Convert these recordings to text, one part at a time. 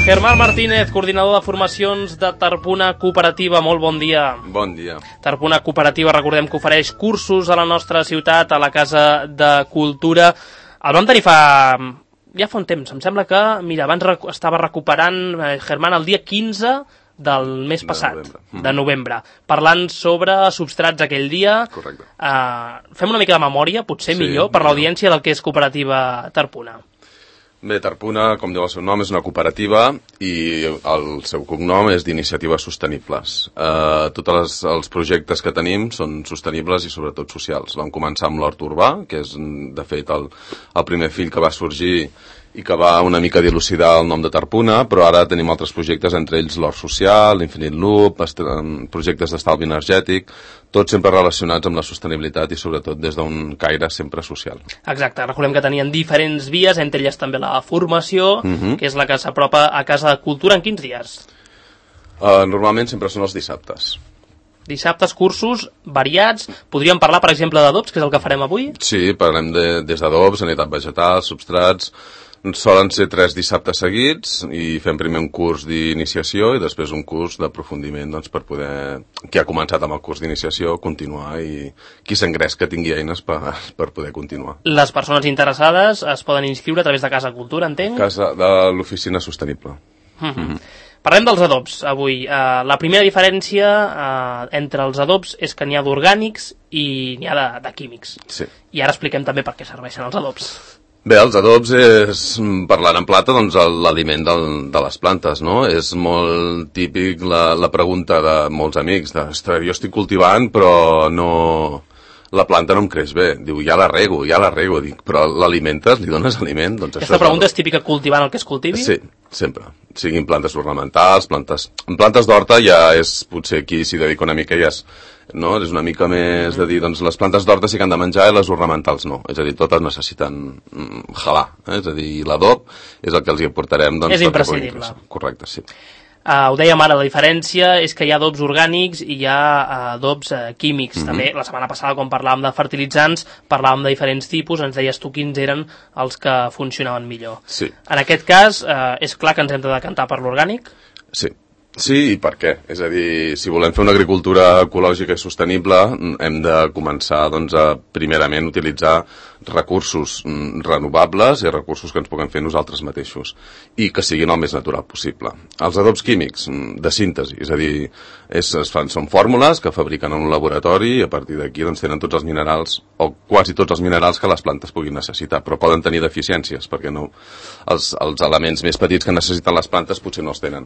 Germán Martínez, coordinador de formacions de Tarpuna Cooperativa. Molt bon dia. Bon dia. Tarpuna Cooperativa, recordem que ofereix cursos a la nostra ciutat, a la Casa de Cultura. El vam tenir ja fa un temps. Em sembla que, mira, abans estava recuperant Germán el dia 15 del mes passat, de novembre, parlant sobre substrats aquell dia. Correcte. Fem una mica de memòria, potser millor, per l'audiència del que és Cooperativa Tarpuna. Bé, Tarpuna, com diu el seu nom, és una cooperativa i el seu cognom és d'Iniciatives Sostenibles. Tots els projectes que tenim són sostenibles i sobretot socials. Vam començar amb l'hort urbà, que és de fet el primer fill que va sorgir i que va una mica dilucidar el nom de Tarpuna, però ara tenim altres projectes, entre ells l'hort social, l'Infinite Loop, projectes d'estalvi energètic, tots sempre relacionats amb la sostenibilitat i sobretot des d'un caire sempre social. Exacte, recordem que tenien diferents vies, entre elles també la formació, que és la que s'apropa a Casa de Cultura. En quins dies? Normalment sempre són els dissabtes. Dissabtes, cursos variats. Podríem parlar, per exemple, d'adobs, que és el que farem avui? Sí, parlem des d'adobs, sanitat vegetal, substrats. Solen ser 3 dissabtes seguits i fem primer un curs d'iniciació i després un curs d'aprofundiment per poder, qui ha començat amb el curs d'iniciació, continuar i qui s'engrés que tingui eines per poder continuar. Les persones interessades es poden inscriure a través de Casa Cultura, entenc? De l'Oficina Sostenible. Parlem dels adobs avui. La primera diferència entre els adobs és que n'hi ha d'orgànics i n'hi ha de químics. Sí. I ara expliquem també per què serveixen els adobs. Bé, els adobs és, parlant en plata, doncs l'aliment de les plantes, no? És molt típic la pregunta de molts amics, ostres, jo estic cultivant però no... La planta no em creix bé. Diu, ja la rego. Dic, però l'alimentes, li dones aliment? Doncs aquesta pregunta és típica cultivant el que es cultivi? Sí, sempre. Siguin plantes ornamentals, plantes d'horta ja és, potser aquí s'hi dedica una mica ja és, no? És una mica més de dir, doncs les plantes d'horta sí que han de menjar i les ornamentals no. És a dir, totes necessiten jalar. És a dir, l'adob és el que els hi aportarem. Doncs, és imprescindible. Correcte, sí. Ho dèiem ara, la diferència és que hi ha adobs orgànics i hi ha adobs químics. També la setmana passada, quan parlàvem de fertilitzants, parlàvem de diferents tipus, ens deies tu quins eren els que funcionaven millor. Sí. En aquest cas, és clar que ens hem de decantar per l'orgànic? Sí. Sí, i per què? És a dir, si volem fer una agricultura ecològica i sostenible, hem de començar, doncs, a primerament utilitzar recursos renovables i recursos que ens puguem fer nosaltres mateixos i que siguin el més natural possible. Els adobs químics, de síntesi, és a dir, són fórmules que fabriquen en un laboratori i a partir d'aquí doncs, tenen tots els minerals, o quasi tots els minerals que les plantes puguin necessitar, però poden tenir deficiències, perquè no, els elements més petits que necessiten les plantes potser no els tenen.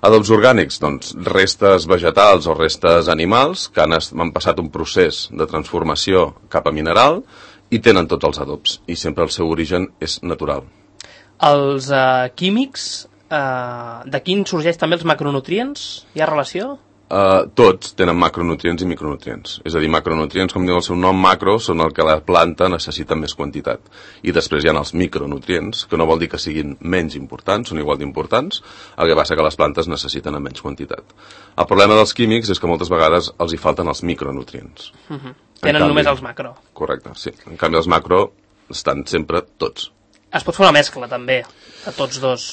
Adobs orgànics, doncs, restes vegetals o restes animals que han passat un procés de transformació cap a mineral i tenen tots els adobs, i sempre el seu origen és natural. Els químics, d'aquí sorgeix també els macronutrients? Hi ha relació? Tots tenen macronutrients i micronutrients. És a dir, macronutrients, com diu el seu nom, macro, són el que la planta necessita en més quantitat. I després hi ha els micronutrients, que no vol dir que siguin menys importants, són igual d'importants, el que passa que les plantes necessiten en menys quantitat. El problema dels químics és que moltes vegades els hi falten els micronutrients. Tenen només els macro. Correcte, sí. En canvi, els macro estan sempre tots. Es pot fer una mescla, també, de tots dos.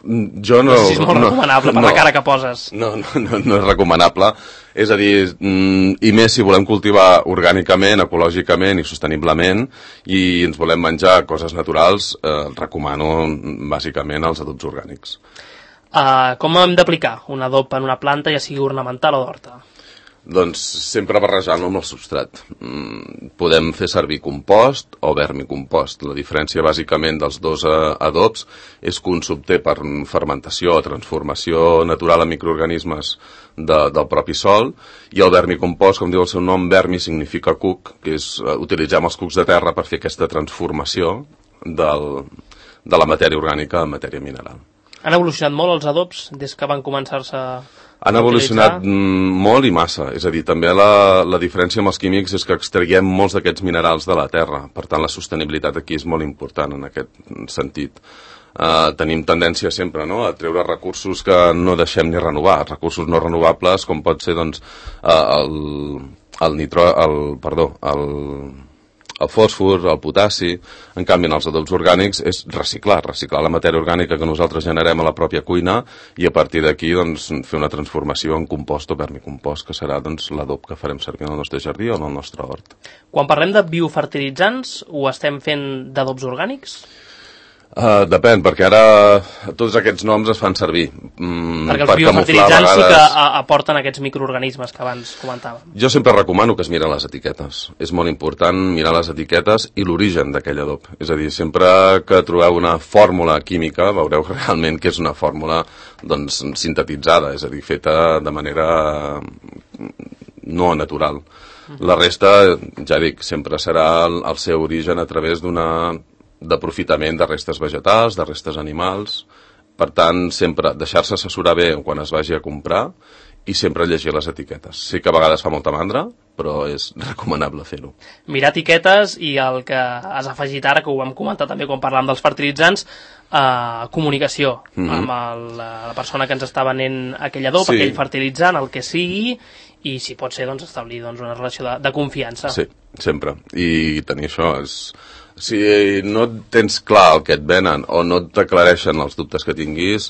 Jo no... No sé si és molt recomanable per la cara que poses. No és recomanable. És a dir, i més si volem cultivar orgànicament, ecològicament i sosteniblement i ens volem menjar coses naturals, recomano bàsicament els adobs orgànics. Com hem d'aplicar un adob en una planta, ja sigui ornamental o d'horta? Doncs sempre barrejar-lo amb el substrat. Podem fer servir compost o vermicompost. La diferència bàsicament dels dos adobs és que un s'obté per fermentació o transformació natural en microorganismes del propi sòl, i el vermicompost, com diu el seu nom, vermi significa cuc, que és utilitzar els cucs de terra per fer aquesta transformació de la matèria orgànica en matèria mineral. Han evolucionat molt els adobs des que van començar-se a Han evolucionat molt i massa. És a dir, també la diferència amb els químics és que extraiem molts d'aquests minerals de la terra. Per tant, la sostenibilitat aquí és molt important en aquest sentit. Tenim tendència sempre, no?, a treure recursos que no deixem ni renovar, recursos no renovables, com pot ser, doncs, el fòsfor, el potassi. En canvi, en els adobs orgànics és reciclar la matèria orgànica que nosaltres generem a la pròpia cuina i a partir d'aquí doncs, fer una transformació en compost o vermicompost, que serà doncs, l'adob que farem servir en el nostre jardí o en el nostre hort. Quan parlem de biofertilitzants, ho estem fent d'adobs orgànics? Depèn, perquè ara tots aquests noms es fan servir perquè els biofertilitzants sí que aporten aquests microorganismes que abans comentàvem. Jo sempre recomano que es miren les etiquetes. És molt important mirar les etiquetes i l'origen d'aquell adob. És a dir, sempre que trobeu una fórmula química veureu realment que és una fórmula doncs, sintetitzada, és a dir, feta de manera no natural. La resta, ja dic, sempre serà el seu origen a través d'aprofitament de restes vegetals, de restes animals. Per tant, sempre deixar-se assessorar bé quan es vagi a comprar i sempre llegir les etiquetes. Sí que a vegades fa molta mandra, però és recomanable fer-ho. Mirar etiquetes i el que has afegit ara, que ho vam comentar també quan parlàvem dels fertilitzants, comunicació amb la persona que ens està venent aquell adob, aquell fertilitzant, el que sigui, i si pot ser doncs, establir doncs, una relació de confiança. Sí, sempre. I tenir això és... Si no tens clar el que et venen o no t'aclareixen els dubtes que tinguis,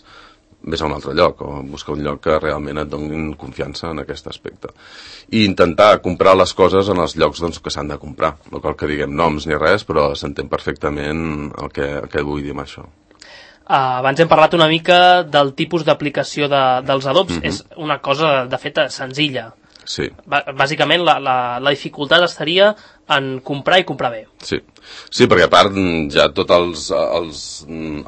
vés a un altre lloc o busca un lloc que realment et donin confiança en aquest aspecte. I intentar comprar les coses en els llocs doncs, que s'han de comprar. No cal que diguem noms ni res, però s'entén perfectament el que vull dir amb això. Abans hem parlat una mica del tipus d'aplicació dels adobs. És una cosa, de fet, senzilla. Sí. Bàsicament, la dificultat estaria en comprar i comprar bé. Sí, perquè a part ja tots els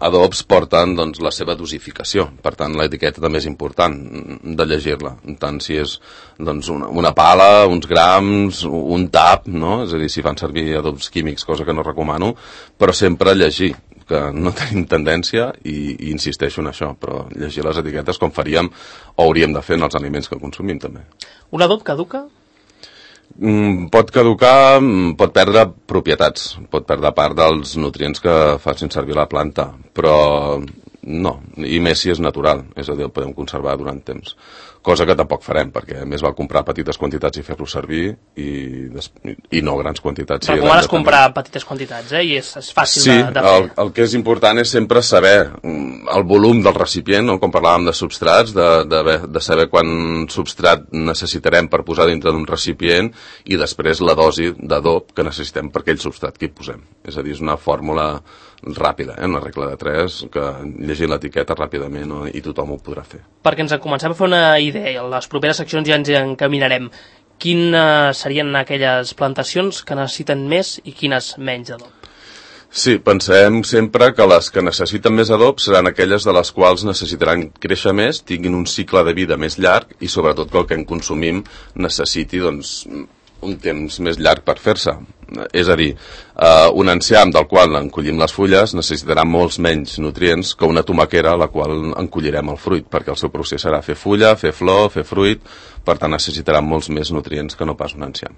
adobs porten doncs, la seva dosificació. Per tant, l'etiqueta també és important de llegir-la. Tant si és doncs, una pala, uns grams, un tap, no? És a dir, si fan servir adobs químics, cosa que no recomano, però sempre llegir, que no tenim tendència i insisteixo en això, però llegir les etiquetes com faríem o hauríem de fer en els aliments que consumim també. Un adob caduca? Pot caducar, pot perdre propietats, pot perdre part dels nutrients que facin servir la planta, però no, i més si és natural, és a dir, el podem conservar durant temps. Cosa que tampoc farem, perquè més val comprar petites quantitats i fer-lo servir i no grans quantitats. Recomanes comprar petites quantitats, i és fàcil de fer. Sí, el que és important és sempre saber el volum del recipient, no? Com parlàvem de substrats, de saber quant substrat necessitarem per posar dintre d'un recipient i després la dosi d'adob que necessitem per aquell substrat que hi posem. És a dir, és una fórmula ràpida, una regla de 3, que llegint l'etiqueta ràpidament i tothom ho podrà fer. Perquè ens comencem a fer una idea, en les properes seccions ja ens encaminarem. Quines serien aquelles plantacions que necessiten més i quines menys adob? Sí, pensem sempre que les que necessiten més adob seran aquelles de les quals necessitaran créixer més, tinguin un cicle de vida més llarg i sobretot que el que en consumim necessiti doncs, un temps més llarg per fer-se. És a dir, un enciam del qual en collim les fulles necessitarà molts menys nutrients que una tomaquera a la qual en collirem el fruit, perquè el seu procés serà fer fulla, fer flor, fer fruit, per tant necessitarà molts més nutrients que no pas un enciam.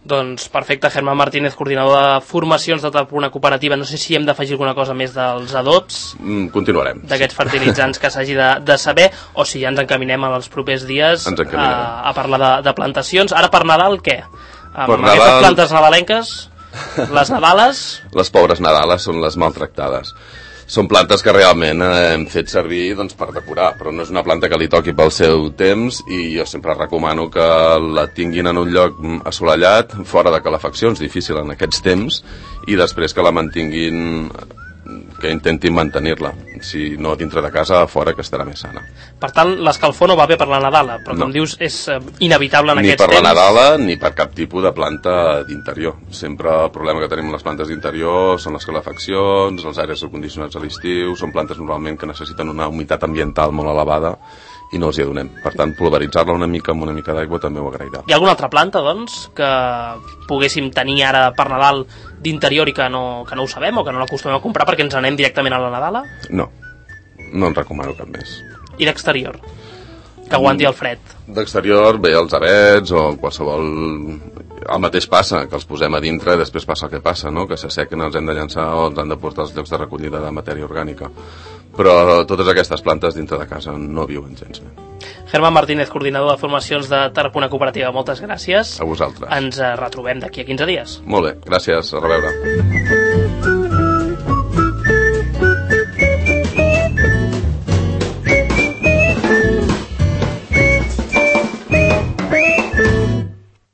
Doncs perfecte, Germán Martínez, coordinador de formacions de una cooperativa. No sé si hem d'afegir alguna cosa més dels adobs. Continuarem. D'aquests fertilitzants que s'hagi de saber, o si ja ens encaminem als propers dies a parlar de plantacions. Ara per Nadal, què? Amb aquestes plantes nadalenques, les nadales... Les pobres nadales són les maltractades. Són plantes que realment hem fet servir doncs, per decorar, però no és una planta que li toqui pel seu temps i jo sempre recomano que la tinguin en un lloc assolellat, fora de calefaccions, difícil en aquests temps, i després que la mantinguin, que intentin mantenir-la. Si no dintre de casa, a fora, que estarà més sana. Per tant, l'escalfor no va bé per la Nadala, però com dius, és inevitable en aquests temps. Ni per la Nadala, ni per cap tipus de planta d'interior. Sempre el problema que tenim amb les plantes d'interior són les calefaccions, els aires acondicionats a l'estiu, són plantes normalment que necessiten una humitat ambiental molt elevada i no els hi donem. Per tant, pulveritzar-la una mica amb una mica d'aigua també ho agrairà. Hi ha alguna altra planta, doncs, que poguéssim tenir ara per Nadal d'interior i que no ho sabem o que no l'acostumem a comprar perquè ens anem directament a la Nadala? No en recomano cap més. I d'exterior? Que aguanti el fred? D'exterior, bé, els avets o qualsevol... El mateix passa, que els posem a dintre i després passa el que passa, no? Que s'assequen, els hem de llançar o els han de portar als llocs de recollida de matèria orgànica. Però totes aquestes plantes dintre de casa no viuen gens bé. Germán Martínez, coordinador de formacions de Tarragona Cooperativa, moltes gràcies. A vosaltres. Ens retrobem d'aquí a 15 dies. Molt bé, gràcies, a reveure.